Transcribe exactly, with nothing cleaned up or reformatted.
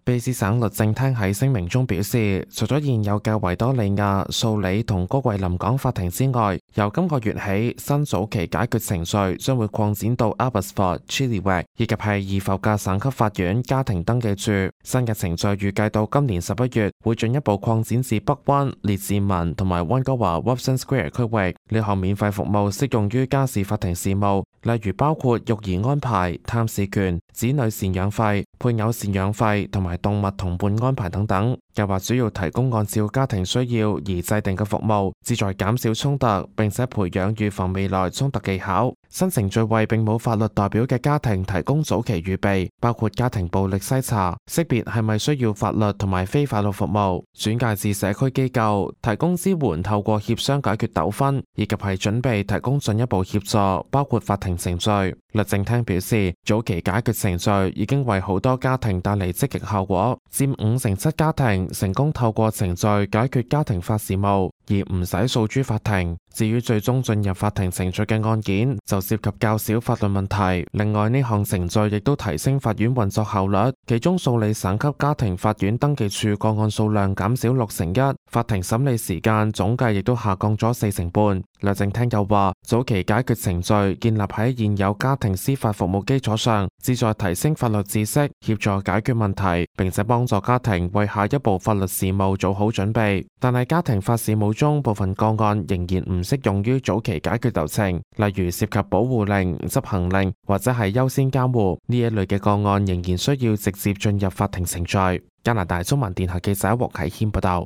卑斯省律政廳喺聲明中表示，除咗現有嘅維多利亞、素里同高貴臨港法庭之外，由今個月起，新早期解決程序將會擴展到 Abbotsford、Chilliwack 以及係易浮嘅省級法院家庭登記處。新嘅程序預計到今年十一月會進一步擴展至北灣、列治文同埋溫哥華 Wobson Square 區域。呢項免費服務適用於家事法庭事務，例如包括育兒安排、探視權、子女贍養費、配偶贍養費同埋動物同伴安排等等。計劃主要提供按照家庭需要而制定嘅服務，旨在減少衝突，並且培養預防未來衝突技巧。新程序為並冇法律代表嘅家庭提供早期預備，包括家庭暴力篩查、識別係咪需要法律同埋非法律服務、轉介至社區機構、提供支援透過協商解決糾紛，以及係準備提供進一步協助，包括法庭程序。律政廳表示，早期解決程序已經為好多家庭帶嚟積極效果，佔五成七家庭成功透過程序解決家庭法事務，而唔使訴諸法庭。至於最終進入法庭程序嘅案件，就涉及較少法律問題。另外，呢項程序亦都提升法院運作效率，其中素里省級家庭法院登記處個案數量減少六成一，法庭審理時間總計亦都下降咗四成半。律政廳又話，早期解決程序建立喺現有家庭司法服務基礎上，旨在提升法律知識，協助解決問題，並且幫助家庭為下一步法律事務做好準備。但係家庭法事務中部分個案仍然唔適用於早期解決流程，例如涉及保護令、執行令或者係優先監護呢一類嘅個案，仍然需要直接進入法庭程序。加拿大中文電台記者黃啟謙報道。